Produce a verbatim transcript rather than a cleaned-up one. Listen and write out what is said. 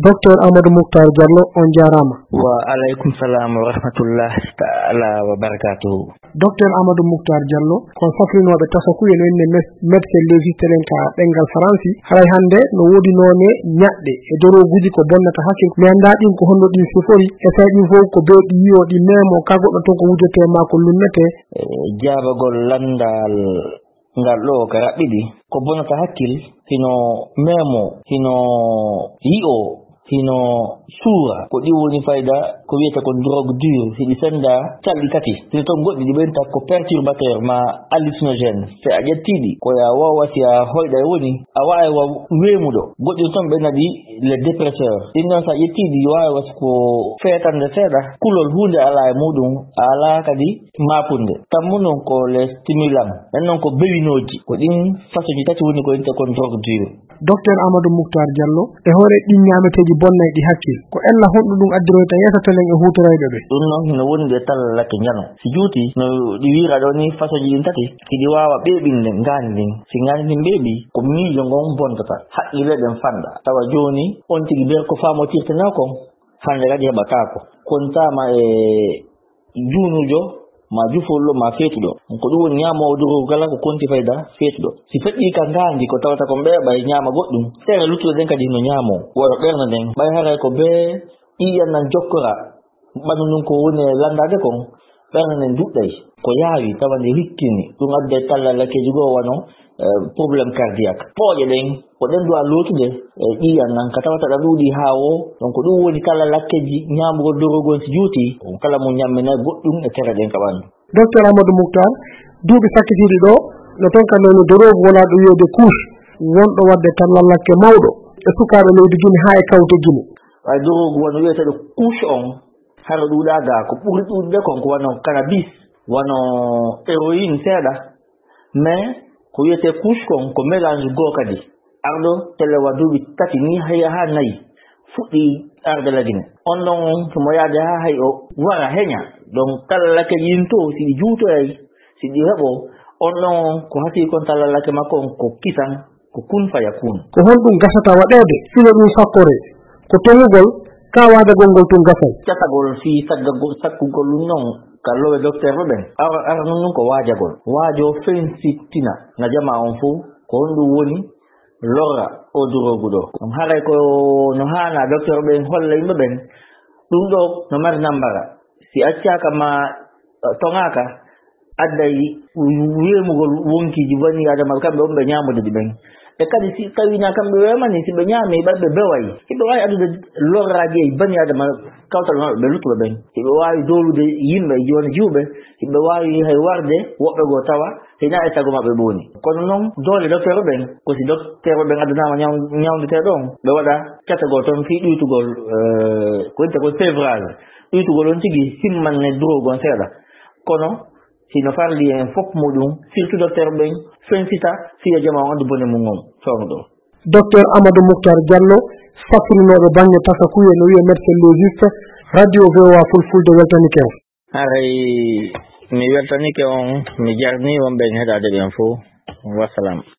Docteur Amadou Moukhtar Diallo, on jaaraama. Wa aleykum salam wa rahmatullahi taala wa barakatuhu. Docteur Amadou Moukhtar Diallo, ko safrinooɓe tasakuye no inne mes-, médecin légiste en ka ɗemngal Faransi, haray hannde no woodi noone ñaɗɗe e dorooguuji ko bonnata hakkil. Mi anndaa ɗin ko honno ɗin sifori, e tawi ɗin fof ko beeɗi yi'o ɗi meemo ka goɗɗo toon ko wujete ma ko lunnete. E jaabagol lanndal ngal ɗo ka raɓɓiɗi, ko bonata hakkil, hino meemo, hino yi'o, hino suura. Ko ɗi woni fayda ko wiyete kon drogue dure, hiɗi senda calɗi tati. Hino ton goɗɗi ɗi ɓenta ko perturbateur ma hallucinogène. Si a ƴetti ɗi, ko ya wawa si a hoyɗa e woni, a wawa wa weemuɗo. Goɗɗi ton ɓe naɗi les dépresseurs. Ɗin ɗon si a ƴetti ɗi, wawa ko feetande seeɗa, kulol huunde alaa e muɗum, alaa kadi maapunde. Tammu non ko les stimulants, en non ko bewinooji. Ko ɗin façon ji tati woni ko inte kon drogue dure. Docteur Amadou Moukhtar Diallo, e hoore ɗin ñaameteeji bonnayɗi hakkil, ko ella honɗum ɗum addiroyta yeeso telen e huutorayɓe ɓe? Ɗum noon hino wondi e tallallake njano. Si juuti, no ɗi wiira ɗo ni, façon ji ɗin tati, hiɗi waawa ɓeeɓinde ngaandi ndin. Si ngaandi ndin ɓeeɓi, ko miijo ngon bontata, haqqille ɗen fanɗa. Tawa jooni, on tigi ber ko faamotirtenoo kon, hannde kadi heɓataako. Kontaama e juunuujo, ma jufollo, ma feetuɗo. Ko ɗum woni ñaamoowo doroogu kala ko konti fayda feetuɗo. Si feƴƴii ka ngaandi ko tawata kon ɓeeɓay ñaama goɗɗum, seere luttuɗe ɗen kadi no ñaamoo. Wano ɓernde nden, ɓay haray ko bee ƴiiƴan nan jokkora, ɓanndu ndun ko woni e lanndaade kon, ɓernde nden duɗɗay. Ko yaawi, tawa nde hikkini, ɗum adday tallallakkeeji goo wano eh, problème cardiaque. Pooƴe ɗen, ko ɗen duwa lootude, eh, ƴiiƴan nan, ka tawata ɗa ɗuuɗi haa woo. Donc, ɗum woni kala lakkeji ñaamugol doroogu on si juuti, kala mo ñammina goɗɗum e tere ɗen ka ɓanndu. Docteur Amadou Moukhtar, duuɓi sakkitiiɗi ɗo, no ton ka noni doroogu wonaa ɗo wiyeede couche, wonɗo waɗde tallallake mawɗo e sukaaɓe leydi Gine haa e kawte Gine. Ɓay doroogu wano wiyeteeɗo couche on, hara ɗuuɗaa gaa, ko ɓuri ɗuuɗude kon ko wano cannabis, wano héroïne seeɗa, mais ko wiyetee couche kon, ko mélange goo kadi. Arɗo tele wa duuɓi tati ni, hay haa nayi, fuɗɗi arde la Gine. On ɗon on, himo yaade haa hay o wara heña. Donc, tallallake ɗin to, si ɗi juutoyay, si ɗi heɓo, on ɗon on, ko hasii kon tallallake makko on, ko kisan, ko kun faya kun. Ko honɗum gasata waɗeede, fino ɗum sakkoree? Ko toŋugol, ka waajagol ngol tun gasay. Catagol fii saggagol, sakkugol ɗum non ka lowe dokteerɓe ɓen. Ara, ara nun nun ko waajagol. Waajo fensittina na jamaa on fow, ko honɗum woni lorra o doroogu ɗo. Ɗum haray ko no haana dokteerɓe ɓen holla yimɓe ɓen, ɗum ɗo no mari nambara. Si accaaka ma, eh, toŋaaka, adday weemugol wonkiiji banii Aadama, kamɓe on ɓe ñaamude ɗi ɓen. E kadi, si tawii na kamɓe weemani, si ɓe ñaami, ɓay ɓe beway, hiɓe waawi addude lorraaji e banii Aadama, kawtal maɓɓe ɓe luttuɓe ɓen. Hiɓe waawi doolude yimɓe, jooni jiwɓe, hiɓe waawi hay warde woɓɓe goo tawa hina e sago maɓɓe ɓe woni. Kono noon, doole dokteerɓe ɓen, ko si dokteerɓe ɓen addanaama ñaw-, ñawndeteeɗo on, ɓe waɗa catagol toon fii ɗuytugol, eh, ko wiyetee ko sevrage. Ɗuytugol on tigi himmanne drogue on seeɗa. Kono hino farli en fof muɗum, surtout docteur ɓen, fensita, fiya jama on anndu bone mum on, fewndo ɗo. Docteur Amadou Moukhtar Diallo, safrinooɗo baŋŋe tasakuye, no wiye médecin légiste, radio V O A Fulfulde weltanike on. Haray mi weltanike on, mi jarni wonɓe en heɗaade ɓen fof. Wassalam.